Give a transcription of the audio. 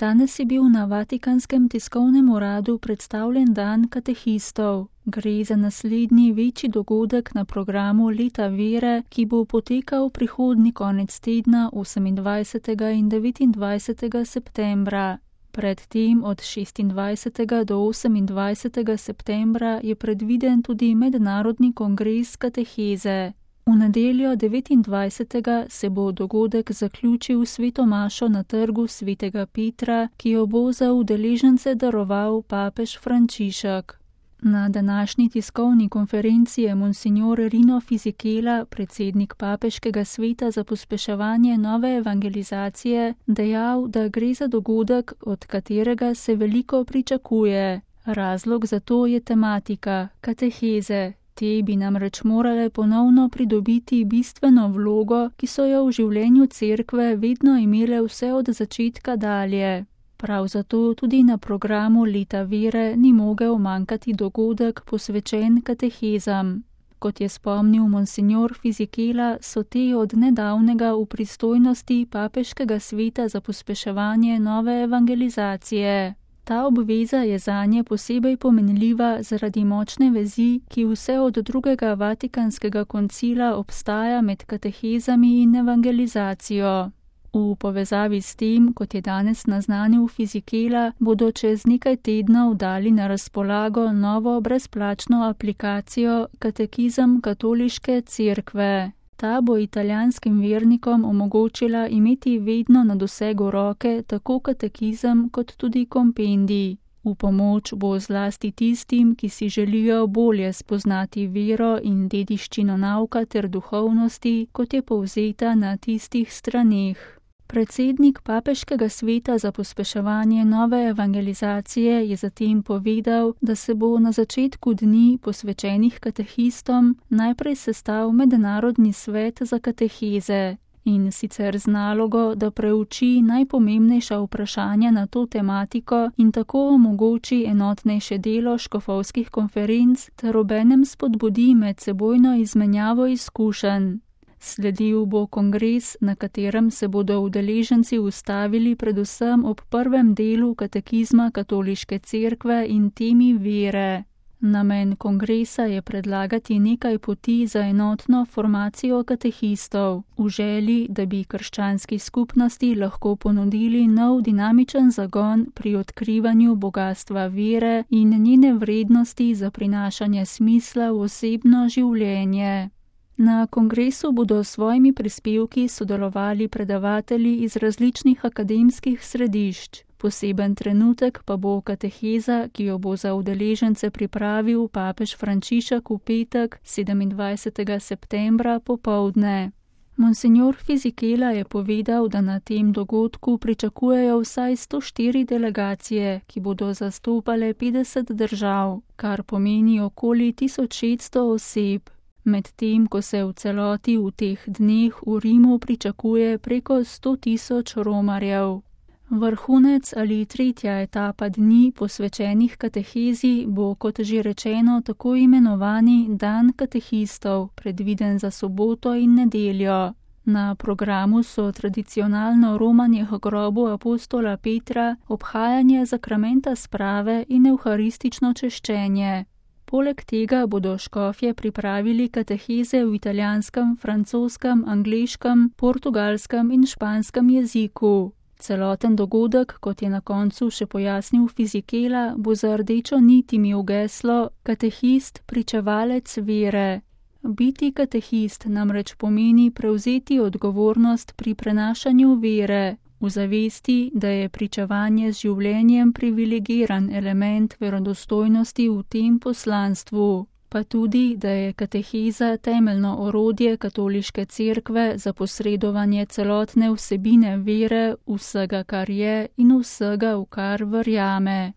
Danes je bil na Vatikanskem tiskovnem uradu predstavljen dan katehistov. Gre za naslednji večji dogodek na programu Leta vere, ki bo potekal prihodnji konec tedna 28. in 29. septembra. Predtem od 26. do 28. septembra je predviden tudi mednarodni kongres kateheze. V nedeljo 29. se bo dogodek zaključil s sveto mašo na trgu svetega Petra, ki jo bo za udeležence daroval papež Frančišek. Na današnji tiskovni konferenci je monsignor Rino Fisichella, predsednik papeškega sveta za pospeševanje nove evangelizacije, dejal, da gre za dogodek, od katerega se veliko pričakuje. Razlog za to je tematika kateheze. Te bi namreč morale ponovno pridobiti bistveno vlogo, ki so jo v življenju cerkve vedno imele vse od začetka dalje. Prav zato tudi na programu Leta vere ni mogel manjkati dogodek posvečen katehezam. Kot je spomnil monsignor Fisichella, so te od nedavnega v pristojnosti papeškega sveta za pospeševanje nove evangelizacije. Ta obveza je zanje posebej pomenljiva zaradi močne vezi, ki vse od drugega Vatikanskega koncila obstaja med katehezami in evangelizacijo. V povezavi s tem, kot je danes naznanil Fisichella, bodo čez nekaj tednov dali na razpolago novo brezplačno aplikacijo Katekizem katoliške cerkve. Ta bo italijanskim vernikom omogočila imeti vedno na dosegu roke tako katekizem kot tudi kompendij. V pomoč bo zlasti tistim, ki si želijo bolje spoznati vero in dediščino nauka ter duhovnosti, kot je povzeta na tistih straneh. Predsednik papeškega sveta za pospeševanje nove evangelizacije je zatem povedal, da se bo na začetku dni posvečenih katehistom najprej sestal mednarodni svet za kateheze in sicer z nalogo, da preuči najpomembnejša vprašanja na to tematiko in tako omogoči enotnejše delo škofovskih konferenc ter obenem spodbudi medsebojno izmenjavo izkušenj. Sledil bo kongres, na katerem se bodo udeleženci ustavili predvsem ob prvem delu katekizma katoliške cerkve in temi vere. Namen kongresa je predlagati nekaj poti za enotno formacijo katehistov, v želji, da bi krščanski skupnosti lahko ponudili nov dinamičen zagon pri odkrivanju bogastva vere in njene vrednosti za prinašanje smisla v osebno življenje. Na kongresu bodo s svojimi prispevki sodelovali predavatelji iz različnih akademskih središč. Poseben trenutek pa bo kateheza, ki jo bo za udeležence pripravil papež Frančišek v petek 27. septembra popoldne. Monsignor Fisichella je povedal, da na tem dogodku pričakujejo vsaj 104 delegacije, ki bodo zastopale 50 držav, kar pomeni okoli 1600 oseb. Medtem ko se v celoti v teh dneh v Rimu pričakuje preko 100 000 romarjev. Vrhunec ali tretja etapa dni posvečenih katehezi bo, kot že rečeno, tako imenovani dan katehistov, predviden za soboto in nedeljo. Na programu so tradicionalno romanje k grobu apostola Petra, obhajanje zakramenta sprave in evharistično češčenje. Poleg tega bodo škofje pripravili kateheze v italijanskem, francoskem, angleškem, portugalskem in španskem jeziku. Celoten dogodek, kot je na koncu še pojasnil Fisichella, bo za rdečo nit imel geslo Katehist, pričevalec vere. Biti katehist namreč pomeni prevzeti odgovornost pri prenašanju vere, v zavesti, da je pričevanje z življenjem privilegiran element verodostojnosti v tem poslanstvu, pa tudi, da je kateheza temeljno orodje katoliške cerkve za posredovanje celotne vsebine vere, vsega, kar je in vsega, v kar verjame.